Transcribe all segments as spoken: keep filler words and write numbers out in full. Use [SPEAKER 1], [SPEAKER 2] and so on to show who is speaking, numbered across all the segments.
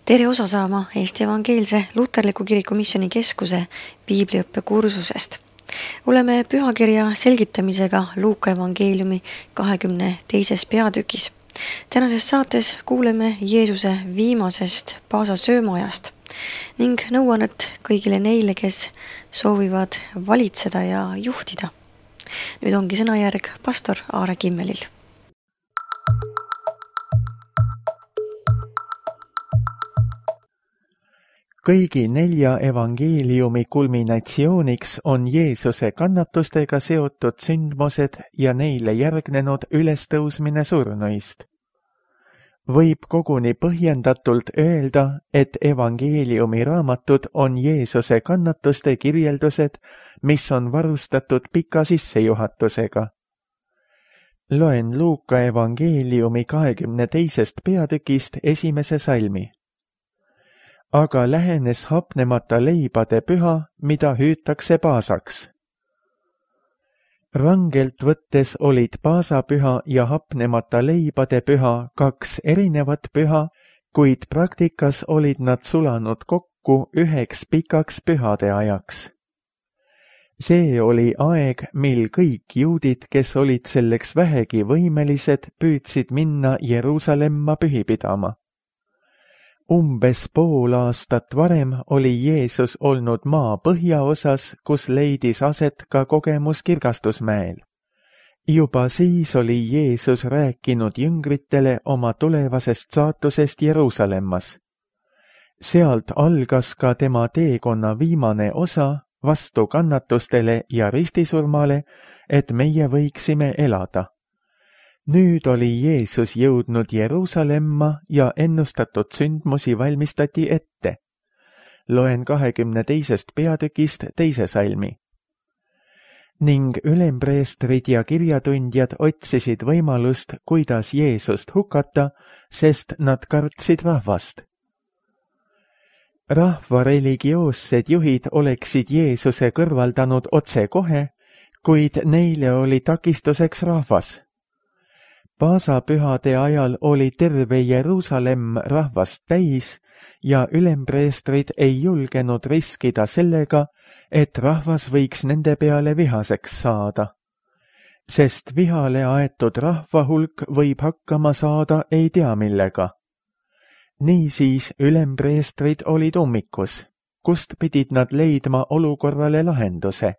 [SPEAKER 1] Tere osa saama Eesti Evangeelse Luterliku Kiriku Missioni Keskuse piibliõppe kursusest. Oleme pühakirja selgitamisega Luuka evangeeliumi kahekümne teises peatükis. Tänases saates kuuleme Jeesuse viimasest Paasa söömaajast ning nõuannet kõigile neile, kes soovivad valitseda ja juhtida. Nüüd ongi sõnajärg pastor Aare Kimmelil.
[SPEAKER 2] Kõigi nelja evangeeliumi kulminatsiooniks on Jeesuse kannatustega seotud sündmused ja neile järgnenud ülestõusmine surnuist. Võib koguni põhjendatult öelda, et evangeeliumi raamatud on Jeesuse kannatuste kirjeldused, mis on varustatud pika sissejuhatusega. Loen Luuka evangeeliumi kahekümne teisest peatükist esimese salmi. Aga lähenes hapnemata leibade püha, mida hüütakse Paasaks. Rangelt võttes olid Paasapüha ja hapnemata leibade püha kaks erinevat püha, kuid praktikas olid nad sulanud kokku üheks pikaks pühade ajaks. See oli aeg, mil kõik juudid, kes olid selleks vähegi võimelised, püüdsid minna Jeruusalemma pühi pidama. Umbes pool aastat varem oli Jeesus olnud maa põhjaosas, kus leidis aset ka kogemus Kirgastusmäel. Juba siis oli Jeesus rääkinud jüngritele oma tulevasest saatusest Jeruusalemmas. Sealt algas ka tema teekonna viimane osa vastu kannatustele ja ristisurmale, et meie võiksime elada. Nüüd oli Jeesus jõudnud Jeruusalemma ja ennustatud sündmusi valmistati ette. Loen kahekümne teisest peatükist teise salmi. Ning ülempreestrid ja kirjatundjad otsisid võimalust, kuidas Jeesust hukata, sest nad kartsid rahvast. Rahva religioossed juhid oleksid Jeesuse kõrvaldanud otse kohe, kuid neile oli takistuseks rahvas. Paasapühade ajal oli terve Jeruusalemm rahvast täis ja ülempreestrid ei julgenud riskida sellega, et rahvas võiks nende peale vihaseks saada. Sest vihale aetud rahva hulk võib hakkama saada ei tea millega. Niisiis ülempreestrid olid ummikus, kust pidid nad leidma olukorrale lahenduse.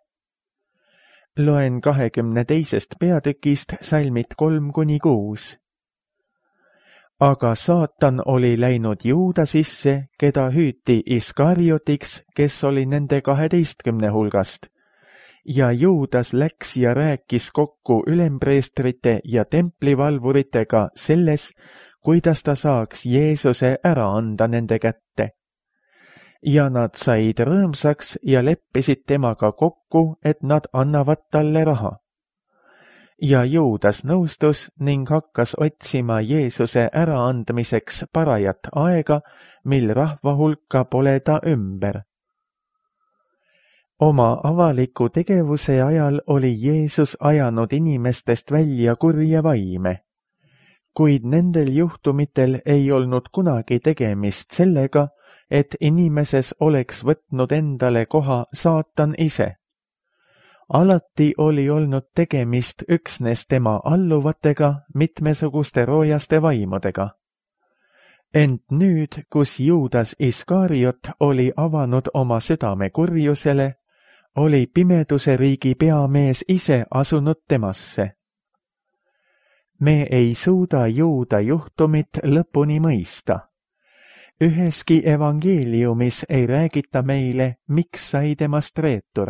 [SPEAKER 2] Loen kahekümne teisest peatükist salmid kolm kuni kuus. Aga saatan oli läinud Juuda sisse, keda hüüti Iskariotiks, kes oli nende kaheteistkümne hulgast. Ja Juudas läks ja rääkis kokku ülempreestrite ja templivalvuritega selles, kuidas ta saaks Jeesuse ära anda nende kätte. Ja nad said rõõmsaks ja leppisid temaga kokku, et nad annavad talle raha. Ja Juudas nõustus ning hakkas otsima Jeesuse äraandmiseks parajat aega, mil rahva hulka pole ta ümber. Oma avaliku tegevuse ajal oli Jeesus ajanud inimestest välja kurja vaime. Kuid nendel juhtumitel ei olnud kunagi tegemist sellega, et inimeses oleks võtnud endale koha saatan ise. Alati oli olnud tegemist üksnes tema alluvatega, mitmesuguste roojaste vaimudega. Ent nüüd, kus Juudas Iskariot oli avanud oma südame kurjusele, oli pimeduse riigi peamees ise asunud temasse. Me ei suuda Juuda juhtumit lõpuni mõista. Üheski evangeeliumis ei räägita meile, miks sai temast reetur.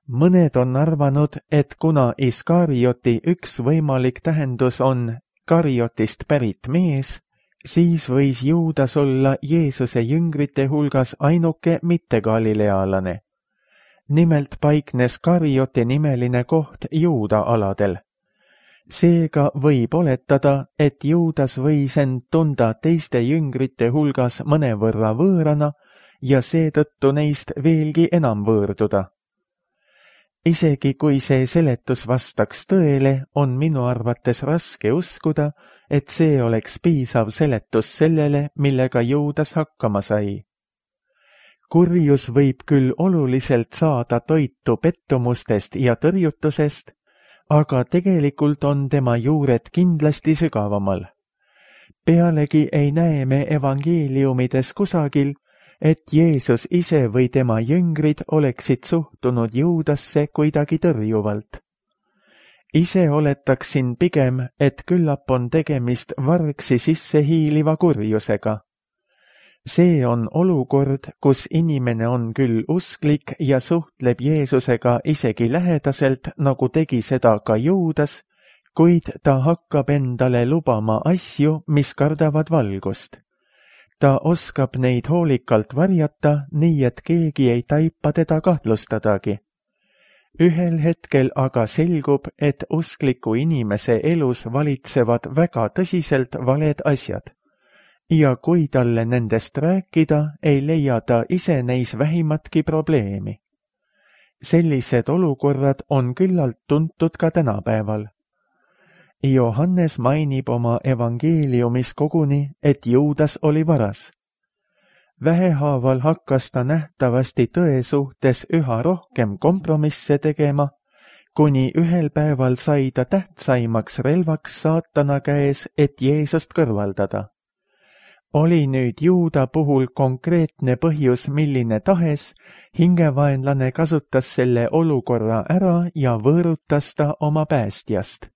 [SPEAKER 2] Mõned on arvanud, et kuna Iskarioti üks võimalik tähendus on Kariotist pärit mees, siis võis Juudas olla Jeesuse jüngrite hulgas ainuke mitte galilealane. Nimelt paiknes Karioti nimeline koht Juuda aladel. Seega võib oletada, et Juudas võis end tunda teiste jüngrite hulgas mõnevõrra võõrana ja seetõttu neist veelgi enam võõrduda. isegi kui see seletus vastaks tõele, on minu arvates raske uskuda, et see oleks piisav seletus sellele, millega Juudas hakkama sai. Kurjus võib küll oluliselt saada toitu pettumustest ja tõrjutusest, aga tegelikult on tema juured kindlasti sügavamal. Pealegi ei näe me evangeeliumides kusagil, et Jeesus ise või tema jüngrid oleksid suhtunud Juudasse kuidagi tõrjuvalt. Ise oletaksin pigem, et küllap on tegemist vargsi sisse hiiliva kurjusega. See on olukord, kus inimene on küll usklik ja suhtleb Jeesusega isegi lähedaselt, nagu tegi seda ka Juudas, kuid ta hakkab endale lubama asju, mis kardavad valgust. Ta oskab neid hoolikalt varjata, nii et keegi ei taipa teda kahtlustadagi. Ühel hetkel aga selgub, et uskliku inimese elus valitsevad väga tõsiselt valed asjad. Ja kui talle nendest rääkida, ei leia ta ise neis vähimatki probleemi. Sellised olukorrad on küllalt tuntud ka tänapäeval. Johannes mainib oma evangeeliumis koguni, et Juudas oli varas. Vähehaaval hakkas ta nähtavasti tõe suhtes üha rohkem kompromisse tegema, kuni ühel päeval sai ta tähtsaimaks relvaks saatana käes, et Jeesust kõrvaldada. Oli nüüd Juuda puhul konkreetne põhjus milline tahes, hingevaenlane kasutas selle olukorra ära ja võõrutas ta oma päästjast.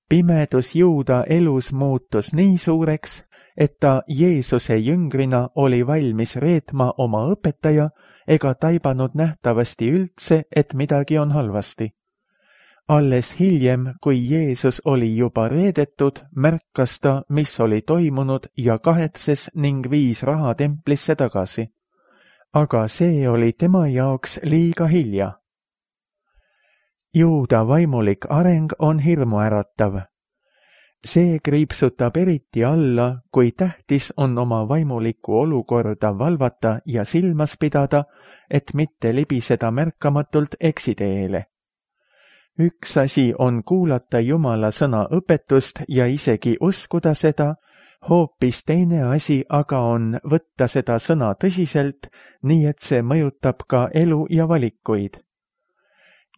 [SPEAKER 2] Pimedus Juuda elus muutus nii suureks, et ta Jeesuse jüngrina oli valmis reetma oma õpetaja ega taibanud nähtavasti üldse, et midagi on halvasti. Alles hiljem, kui Jeesus oli juba reedetud, märkas ta, mis oli toimunud ja kahetses ning viis raha templisse tagasi. Aga see oli tema jaoks liiga hilja. Juuda vaimulik areng on hirmuäratav. See kriipsutab eriti alla, kui tähtis on oma vaimulikku olukorda valvata ja silmas pidada, et mitte libiseda märkamatult eksiteele. Üks asi on kuulata Jumala sõna õpetust ja isegi uskuda seda, hoopis teine asi aga on võtta seda sõna tõsiselt, nii et see mõjutab ka elu ja valikuid.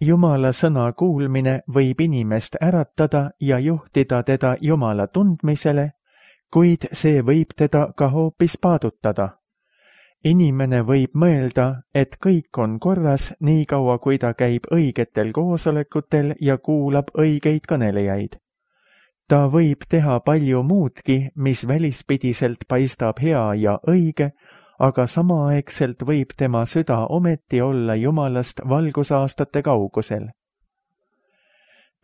[SPEAKER 2] Jumala sõna kuulmine võib inimest äratada ja juhtida teda Jumala tundmisele, kuid see võib teda ka hoopis paadutada. Inimene võib mõelda, et kõik on korras nii kaua, kui ta käib õigetel koosolekutel ja kuulab õigeid kõnelejaid. Ta võib teha palju muudki, mis välispidiselt paistab hea ja õige, aga samaaegselt võib tema süda ometi olla Jumalast valgusaastate kaugusel.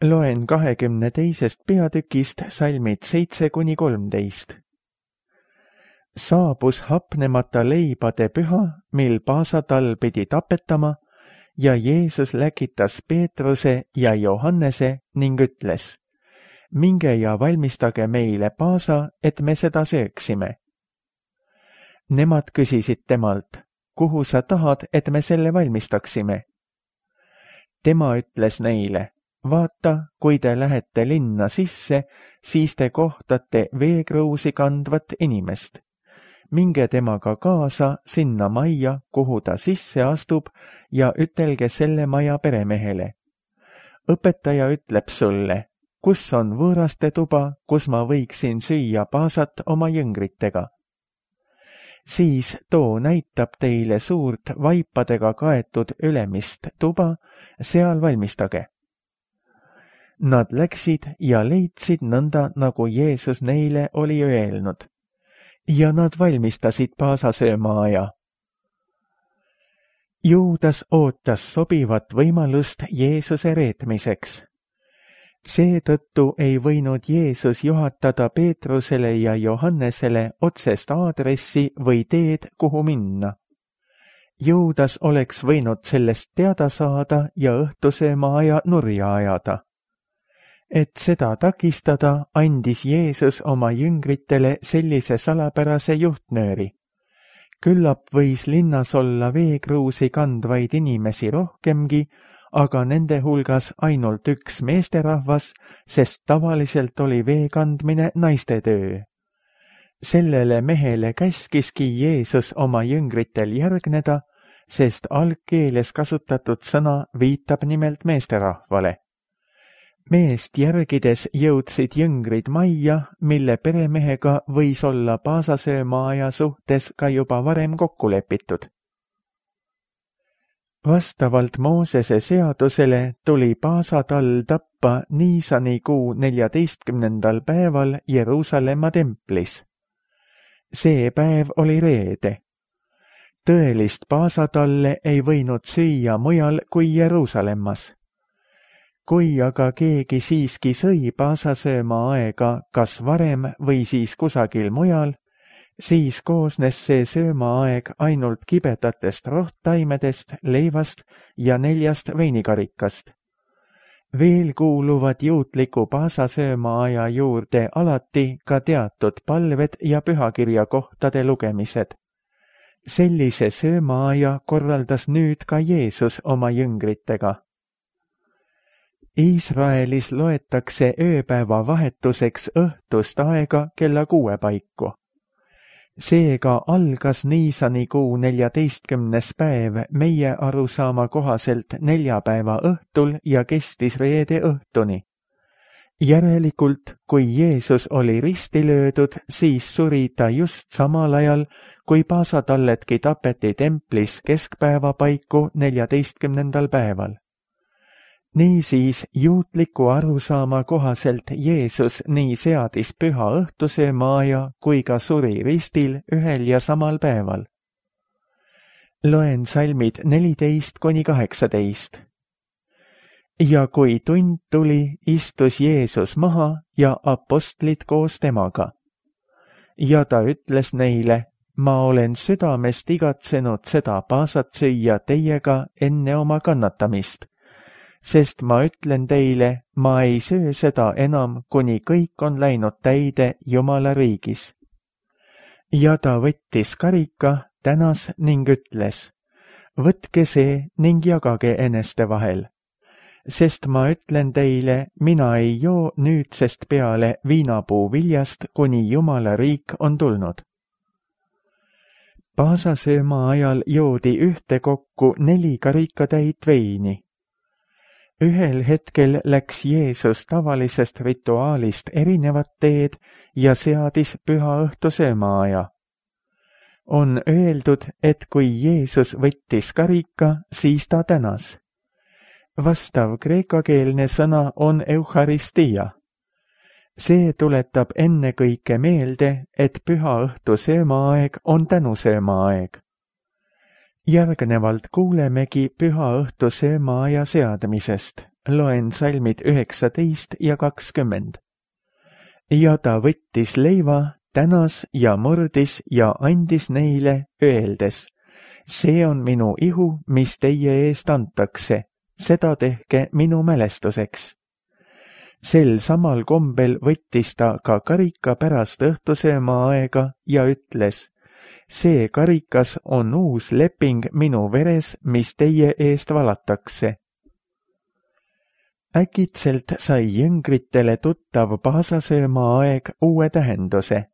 [SPEAKER 2] Loen kahekümne teisest peatükist salmid seitse kuni kolmteist. Saabus hapnemata leibade püha, mil paasatal pidi tapetama, ja Jeesus läkitas Peetruse ja Johannese ning ütles, minge ja valmistage meile paasa, et me seda sööksime. Nemad küsisid temalt, kuhu sa tahad, et me selle valmistaksime? Tema ütles neile, vaata, kui te lähete linna sisse, siis te kohtate veekruusi kandvat inimest. Minge temaga kaasa sinna majja, kuhu ta sisse astub, ja ütelge selle maja peremehele. Õpetaja ütleb sulle, kus on võõraste tuba, kus ma võiksin süüa paasat oma jüngritega. Siis too näitab teile suurt vaipadega kaetud ülemist tuba, seal valmistage. Nad läksid ja leidsid nõnda, nagu Jeesus neile oli öelnud. Ja nad valmistasid paasasöömaaja. Juudas ootas sobivat võimalust Jeesuse reetmiseks. Seetõttu ei võinud Jeesus juhatada Peetrusele ja Johannesele otsest aadressi või teed, kuhu minna. Juudas oleks võinud sellest teada saada ja õhtusöömaaja nurja ajada. Et seda takistada, andis Jeesus oma jüngritele sellise salapärase juhtnööri. Küllap võis linnas olla veekruusi kandvaid inimesi rohkemgi, aga nende hulgas ainult üks meesterahvas, sest tavaliselt oli vee kandmine naiste töö. Sellele mehele käskiski Jeesus oma jüngritel järgneda, sest algkeeles kasutatud sõna viitab nimelt meesterahvale. Meest järgides jõudsid jüngrid majja, mille peremehega võis olla paasasöömaaja suhtes ka juba varem kokku lepitud. Vastavalt Moosese seadusele tuli paasatall tappa Niisani kuu neljateistkümnendal päeval Jeruusalemma templis. See päev oli reede. Tõelist paasatalle ei võinud süüa mujal kui Jeruusalemmas. Kui aga keegi siiski sõi paasasööma aega kas varem või siis kusagil mujal, siis koosnes see söömaaeg ainult kibedatest rohttaimedest, leivast ja neljast veinikarikast. Veel kuuluvad juutliku paasasöömaaja juurde alati ka teatud palved ja pühakirja kohtade lugemised. Sellise söömaaja korraldas nüüd ka Jeesus oma jüngritega. Iisraelis loetakse ööpäeva vahetuseks õhtust aega kella kuue paiku. Seega algas Niisani kuu neljateistkümnes päev meie arusaama kohaselt neljapäeva õhtul ja kestis reede õhtuni. Järelikult, kui Jeesus oli risti löödud, siis suri ta just samal ajal, kui paasatalledki tapeti templis keskpäeva paiku neljateistkümnendal päeval. Niisiis juutliku arusaama kohaselt Jeesus nii seadis püha õhtusöömaaja kui ka suri ristil ühel ja samal päeval. Loen salmid neliteist kuni kaheksateist. Ja kui tund tuli, istus Jeesus maha ja apostlid koos temaga. Ja ta ütles neile, ma olen südamest igatsenud seda paasat süüa teiega enne oma kannatamist. Sest ma ütlen teile, ma ei söö seda enam, kuni kõik on läinud täide Jumala riigis. Ja ta võttis karika, tänas ning ütles, võtke see ning jagage eneste vahel. Sest ma ütlen teile, mina ei joo nüüdsest peale viinapuu viljast, kuni Jumala riik on tulnud. Paasasööma ajal joodi ühtekokku neli karikatäit veini. Ühel hetkel läks Jeesus tavalisest rituaalist erinevat teed ja seadis püha õhtu söömaaja. On öeldud, et kui Jeesus võttis karika, siis ta tänas. Vastav kreekakeelne sõna on eucharistia. See tuletab ennekõike meelde, et püha õhtu söömaaeg on tänusöömaaeg. Järgnevalt kuulemegi püha õhtu söömaaja seadmisest. Loen salmid üheksateist ja kakskümmend. Ja ta võttis leiva, tänas ja murdis ja andis neile, öeldes, see on minu ihu, mis teie eest antakse, seda tehke minu mälestuseks. Sel samal kombel võttis ta ka karika pärast õhtusöömaaega ja ütles, see karikas on uus leping minu veres, mis teie eest valatakse. Äkitselt sai jüngritele tuttav paasasöömaaeg uue tähenduse.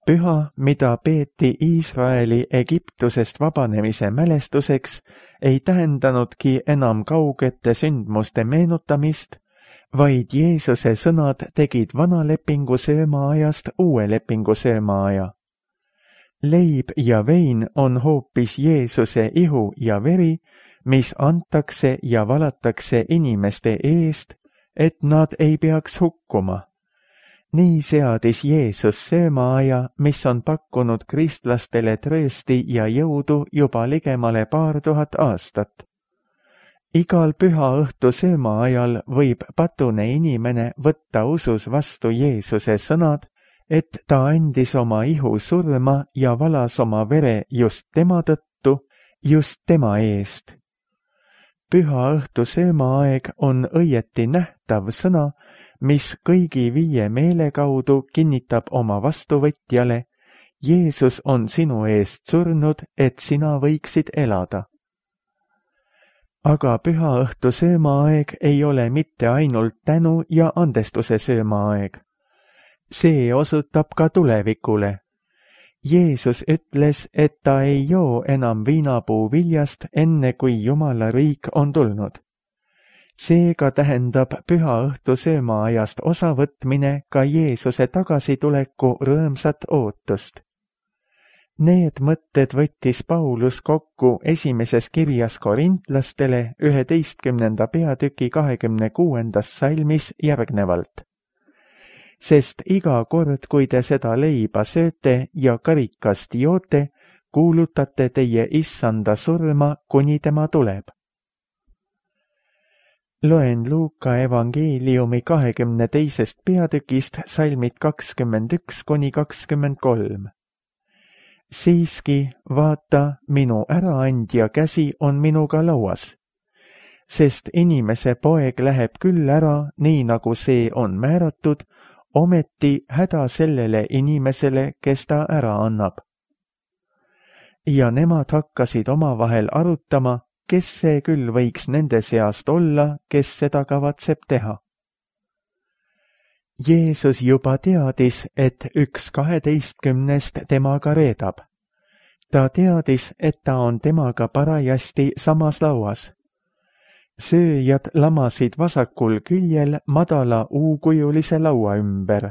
[SPEAKER 2] Püha, mida peeti Iisraeli Egiptusest vabanemise mälestuseks, ei tähendanudki enam kaugete sündmuste meenutamist, vaid Jeesuse sõnad tegid vana lepingu söömaajast uue lepingu söömaaja. Leib ja vein on hoopis Jeesuse ihu ja veri, mis antakse ja valatakse inimeste eest, et nad ei peaks hukkuma. Nii seadis Jeesus söömaaja, mis on pakkunud kristlastele tröösti ja jõudu juba ligemale paar tuhat aastat. Igal püha õhtu söömaajal võib patune inimene võtta usus vastu Jeesuse sõnad, et ta andis oma ihu surma ja valas oma vere just tema tõttu, just tema eest. Püha õhtu söömaaeg on õieti nähtav sõna, mis kõigi viie meele kaudu kinnitab oma vastuvõtjale, Jeesus on sinu eest surnud, et sina võiksid elada. aga pühaõhtu söömaaeg ei ole mitte ainult tänu ja andestuse söömaaeg. See osutab ka tulevikule. Jeesus ütles, et ta ei joo enam viinapuu viljast, enne kui Jumala riik on tulnud. Seega tähendab pühaõhtu söömaajast osavõtmine ka Jeesuse tagasituleku rõõmsat ootust. Need mõtted võttis Paulus kokku esimeses kirjas korintlastele üheteistkümnenda peatüki kahekümne kuuendas salmis järgnevalt. Sest iga kord, kui te seda leiba sööte ja karikast joote, kuulutate teie issanda surma, kuni tema tuleb. Loen Luuka evangeeliumi kahekümne teisest peatükist salmid kakskümmend üks kuni kakskümmend kolm. Siiski, vaata, minu äraandja käsi on minuga lauas, sest inimese poeg läheb küll ära, nii nagu see on määratud, ometi häda sellele inimesele, kes ta ära annab. Ja nemad hakkasid omavahel arutama, kes see küll võiks nende seast olla, kes seda kavatseb teha. Jeesus juba teadis, et üks kaheteistkümnest temaga reedab. Ta teadis, et ta on temaga parajasti samas lauas. Sööjad lamasid vasakul küljel madala U-kujulise laua ümber.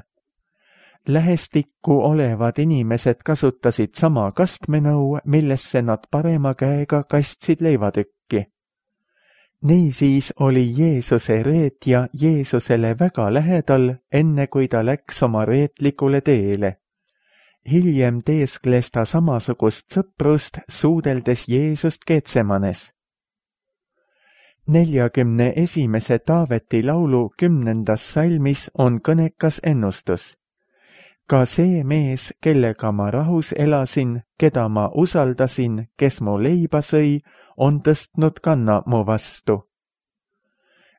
[SPEAKER 2] Lähestikku olevad inimesed kasutasid sama kastmenõu, millesse nad parema käega kastsid leivatükki. Niisiis oli Jeesuse reetja Jeesusele väga lähedal, enne kui ta läks oma reetlikule teele. Hiljem teeskles ta samasugust sõprust, suudeldes Jeesust Getsemanes. Neljakümne esimese Taaveti laulu kümnendas salmis on kõnekas ennustus. Ka see mees, kellega ma rahus elasin, keda ma usaldasin, kes mu leiba sõi, on tõstnud kanna mu vastu.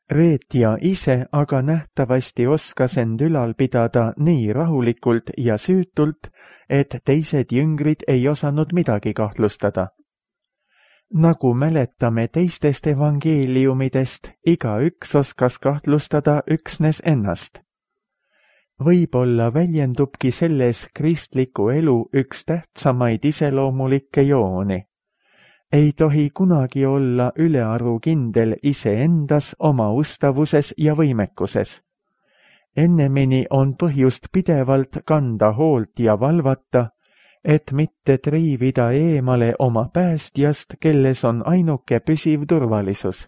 [SPEAKER 2] Reetja ise aga nähtavasti oskas end ülal pidada nii rahulikult ja süütult, et teised jüngrid ei osanud midagi kahtlustada. Nagu mäletame teistest evangeeliumidest, igaüks oskas kahtlustada üksnes ennast. Võib-olla väljendubki selles kristliku elu üks tähtsamaid iseloomulikke jooni. Ei tohi kunagi olla ülearu kindel iseendas, oma ustavuses ja võimekuses. Ennemini on põhjust pidevalt kanda hoolt ja valvata, et mitte triivida eemale oma päästjast, kelles on ainuke püsiv turvalisus.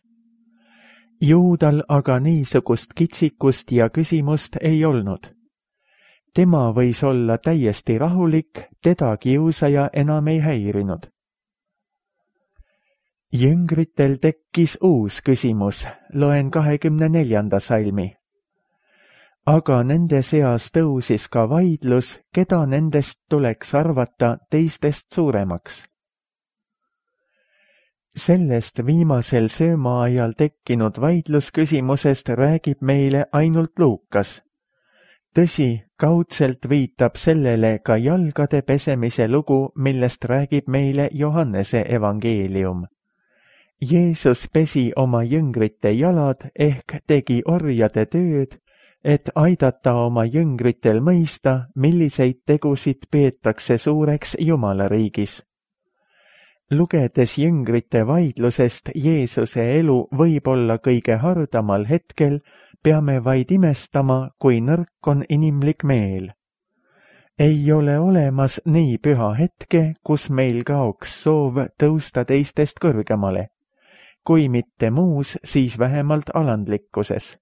[SPEAKER 2] Juudal aga niisugust kitsikust ja küsimust ei olnud. Tema võis olla täiesti rahulik, teda kiusaja enam ei häirinud. Jüngritel tekkis uus küsimus, loen kahekümne neljanda salmi. Aga nende seas tõusis ka vaidlus, keda nendest tuleks arvata teistest suuremaks. Sellest viimasel söömaajal tekkinud vaidlusküsimusest räägib meile ainult Luukas. Tõsi, kaudselt viitab sellele ka jalgade pesemise lugu, millest räägib meile Johannese evangeelium. Jeesus pesi oma jüngrite jalad ehk tegi orjade tööd, et aidata oma jüngritel mõista, milliseid tegusid peetakse suureks Jumala riigis. Lugedes jüngrite vaidlusest Jeesuse elu võib olla kõige hardamal hetkel, peame vaid imestama, kui nõrk on inimlik meel. Ei ole olemas nii püha hetke, kus meil kaoks soov tõusta teistest kõrgemale. Kui mitte muus, siis vähemalt alandlikkuses.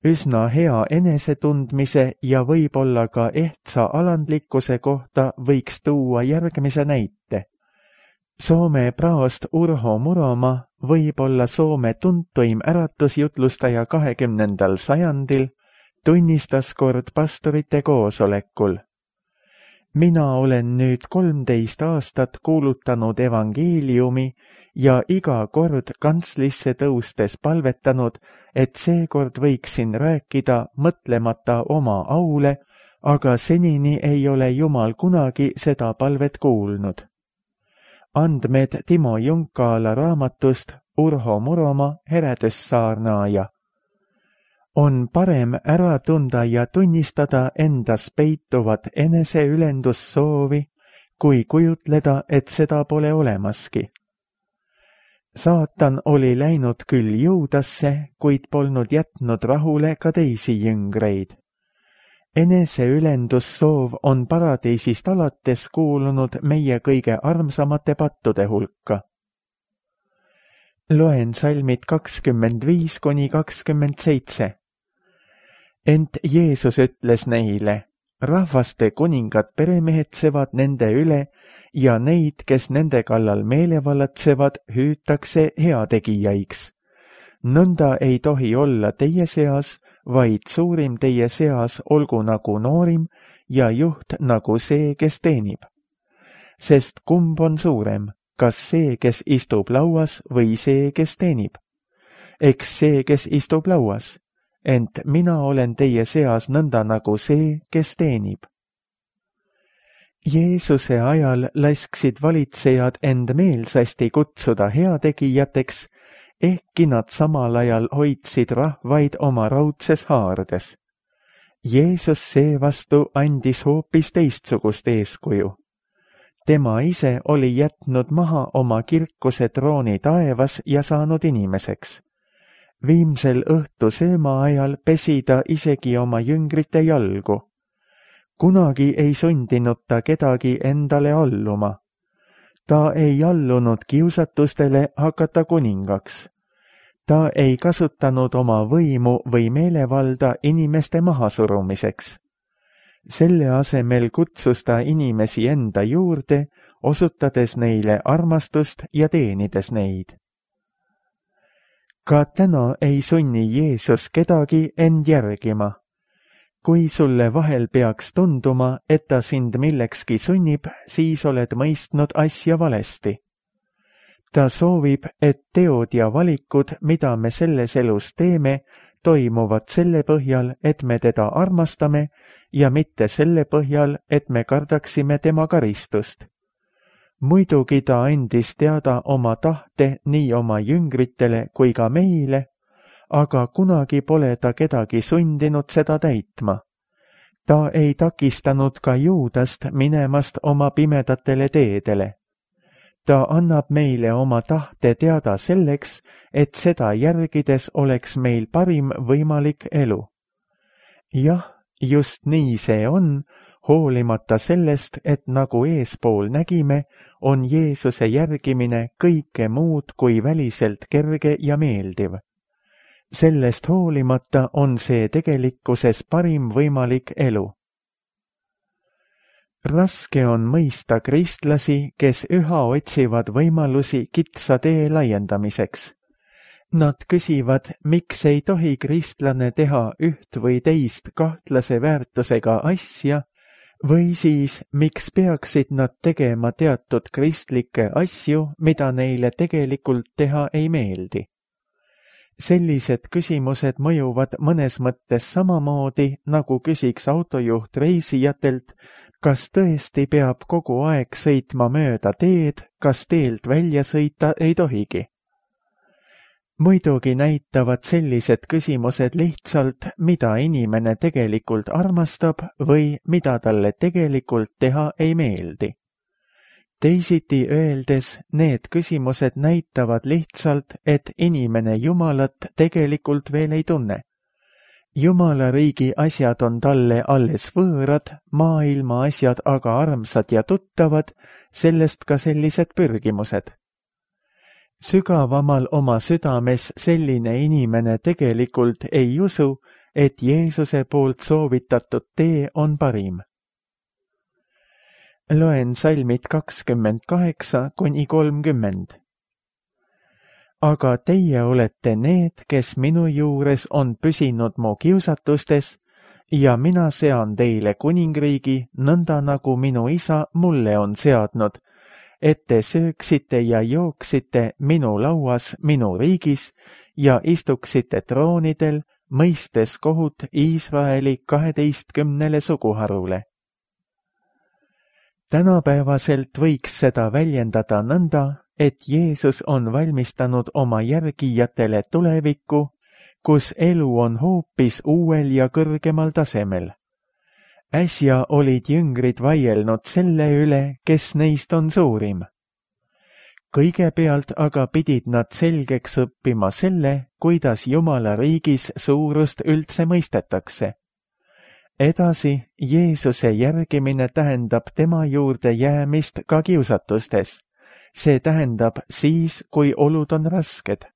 [SPEAKER 2] Üsna hea enesetundmise ja võib-olla ka ehtsa alandlikkuse kohta võiks tuua järgmise näite. Soome praost Urho Muroma, võib-olla Soome tuntuim äratusjutlustaja kahekümnendal sajandil, tunnistas kord pastorite koosolekul. Mina olen nüüd kolmteist aastat kuulutanud evangeeliumi ja iga kord kantslisse tõustes palvetanud, et seekord võiksin rääkida mõtlemata oma aule, aga senini ei ole Jumal kunagi seda palvet kuulnud. Andmed Timo Junkaala raamatust Urho Muromaa heredussaarnaaja. On parem ära tunda ja tunnistada endas peituvat eneseülendussoovi, kui kujutleda, et seda pole olemaski. Saatan oli läinud küll Juudasse, kuid polnud jätnud rahule ka teisi jüngreid. Eneseülendussoov on paradiisist alates kuulunud meie kõige armsamate pattude hulka. Loen salmid kakskümmend viis kuni kakskümmend seitse. Ent Jeesus ütles neile, rahvaste kuningad peremehetsevad nende üle ja neid, kes nende kallal meelevallatsevad, hüütakse heategijaiks. Nõnda ei tohi olla teie seas, vaid suurim teie seas olgu nagu noorim ja juht nagu see, kes teenib. Sest kumb on suurem, kas see, kes istub lauas või see, kes teenib? Eks see, kes istub lauas, ent mina olen teie seas nõnda nagu see, kes teenib. Jeesuse ajal lasksid valitsejad end meelsasti kutsuda heategijateks, ehkki nad samal ajal hoidsid rahvaid oma raudses haardes. Jeesus seevastu andis hoopis teistsugust eeskuju. Tema ise oli jätnud maha oma kirkuse trooni taevas ja saanud inimeseks. Viimsel õhtu sööma ajal pesi ta isegi oma jüngrite jalgu. Kunagi ei sundinud ta kedagi endale alluma. Ta ei allunud kiusatustele hakata kuningaks. Ta ei kasutanud oma võimu või meelevalda inimeste mahasurumiseks. Selle asemel kutsus ta inimesi enda juurde, osutades neile armastust ja teenides neid. Ka täna ei sunni Jeesus kedagi end järgima. Kui sulle vahel peaks tunduma, et ta sind millekski sunnib, siis oled mõistnud asja valesti. Ta soovib, et teod ja valikud, mida me selles elus teeme, toimuvad selle põhjal, et me teda armastame ja mitte selle põhjal, et me kardaksime tema karistust. Muidugi ta andis teada oma tahte nii oma jüngritele kui ka meile, aga kunagi pole ta kedagi sundinud seda täitma. Ta ei takistanud ka Juudast minemast oma pimedatele teedele. Ta annab meile oma tahte teada selleks, et seda järgides oleks meil parim võimalik elu. Jah, just nii see on, hoolimata sellest, et nagu eespool nägime, on Jeesuse järgimine kõike muud kui väliselt kerge ja meeldiv. Sellest hoolimata on see tegelikkuses parim võimalik elu. Raske on mõista kristlasi, kes üha otsivad võimalusi kitsa tee laiendamiseks. Nad küsivad, miks ei tohi kristlane teha üht või teist kahtlase väärtusega asja, või siis, miks peaksid nad tegema teatud kristlikke asju, mida neile tegelikult teha ei meeldi. Sellised küsimused mõjuvad mõnes mõttes samamoodi, nagu küsiks autojuht reisijatelt, kas tõesti peab kogu aeg sõitma mööda teed, kas teelt välja sõita ei tohigi. Muidugi näitavad sellised küsimused lihtsalt, mida inimene tegelikult armastab või mida talle tegelikult teha ei meeldi. Teisiti öeldes, need küsimused näitavad lihtsalt, et inimene Jumalat tegelikult veel ei tunne. Jumala riigi asjad on talle alles võõrad, maailma asjad aga armsad ja tuttavad, sellest ka sellised pürgimused. Sügavamal oma südames selline inimene tegelikult ei usu, et Jeesuse poolt soovitatud tee on parim. Loen salmid kakskümmend kaheksa kuni kolmkümmend. Aga teie olete need, kes minu juures on püsinud mu kiusatustes, ja mina sean teile kuningriigi, nõnda nagu minu isa mulle on seadnud, et te sööksite ja jooksite minu lauas minu riigis ja istuksite troonidel, mõistes kohut Iisraeli kaheteistkümnele suguharule. Tänapäevaselt võiks seda väljendada nõnda, et Jeesus on valmistanud oma järgijatele tulevikku, kus elu on hoopis uuel ja kõrgemal tasemel. Äsja olid jüngrid vaielnud selle üle, kes neist on suurim. Kõigepealt aga pidid nad selgeks õppima selle, kuidas Jumala riigis suurust üldse mõistetakse. Edasi, Jeesuse järgimine tähendab tema juurde jäämist ka kiusatustes. See tähendab siis, kui olud on rasked.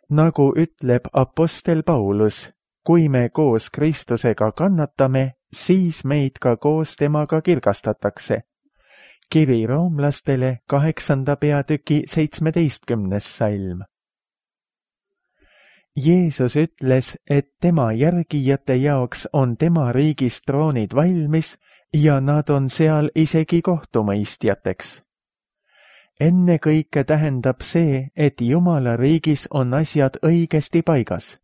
[SPEAKER 2] Nagu ütleb apostel Paulus, kui me koos Kristusega kannatame, siis meid ka koos temaga kirgastatakse. Kiri roomlastele kaheksanda peatüki seitsmeteistkümnes salm. Jeesus ütles, et tema järgijate jaoks on tema riigis troonid valmis ja nad on seal isegi kohtumõistjateks. Ennekõike tähendab see, et Jumala riigis on asjad õigesti paigas.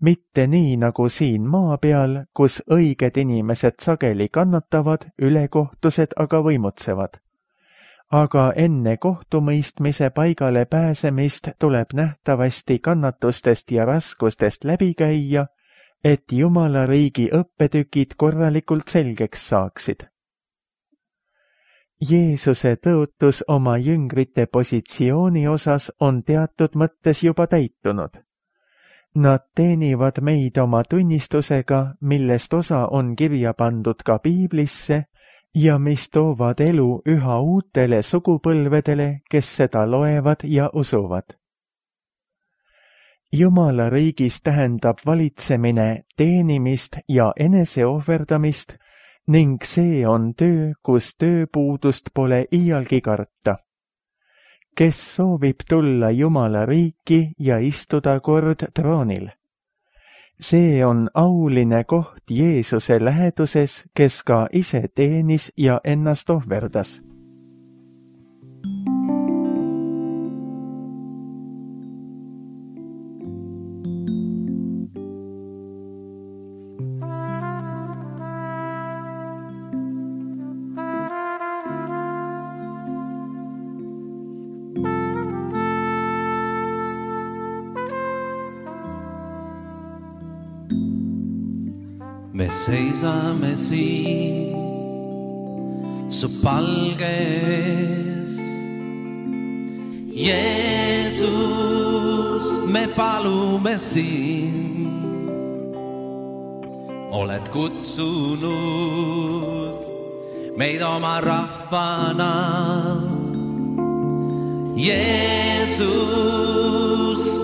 [SPEAKER 2] Mitte nii nagu siin maa peal, kus õiged inimesed sageli kannatavad, ülekohtused aga võimutsevad. Aga enne kohtumõistmise paigale pääsemist tuleb nähtavasti kannatustest ja raskustest läbi käia, et Jumala riigi õppetükid korralikult selgeks saaksid. Jeesuse tõotus oma jüngrite positsiooni osas on teatud mõttes juba täitunud. Nad teenivad meid oma tunnistusega, millest osa on kirja pandud ka Piiblisse ja mis toovad elu üha uutele sugupõlvedele, kes seda loevad ja usuvad. Jumala riigis tähendab valitsemine teenimist ja eneseohverdamist ning see on töö, kus tööpuudust pole iialgi karta. Kes soovib tulla Jumala riiki ja istuda kord troonil? See on auline koht Jeesuse läheduses, kes ka ise teenis ja ennast ohverdas.
[SPEAKER 3] Me seisame siin su palge ees. Jeesus, me palume siin. Oled kutsunud meid oma rahvana. Jeesus,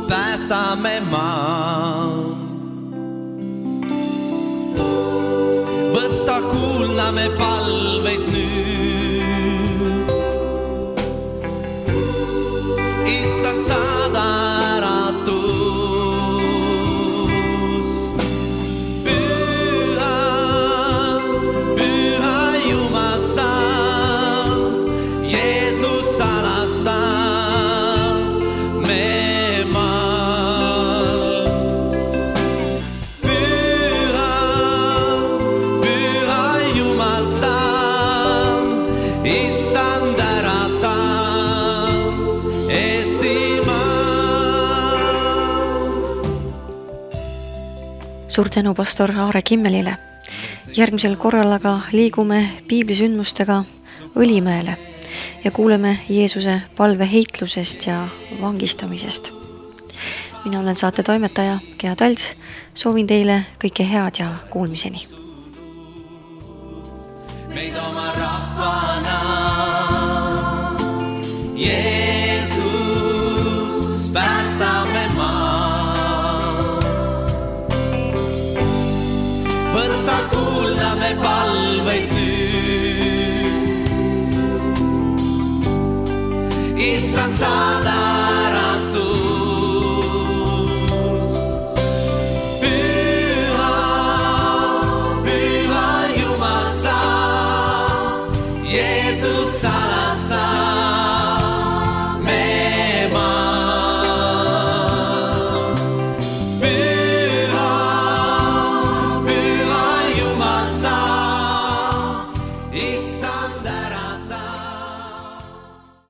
[SPEAKER 3] päästame maa. Võtta kuulda me palveid nüüd. Issand, saada äratus. Püha, püha Jumal sa, Jeesus salasta me maal. Issand ärata Eestimaa.
[SPEAKER 1] Suur tänu pastor Aare Kimmelile. Järgmisel korral aga liigume piiblisündmustega Õlimäele ja kuuleme Jeesuse palveheitlusest ja vangistamisest. Mina olen saate toimetaja Gea Talts. Soovin teile kõike head ja kuulmiseni.
[SPEAKER 3] Meid oma rahvana. Jeesus, päästame maa. Võtta kuulda me palveid nüüd. Issand, saada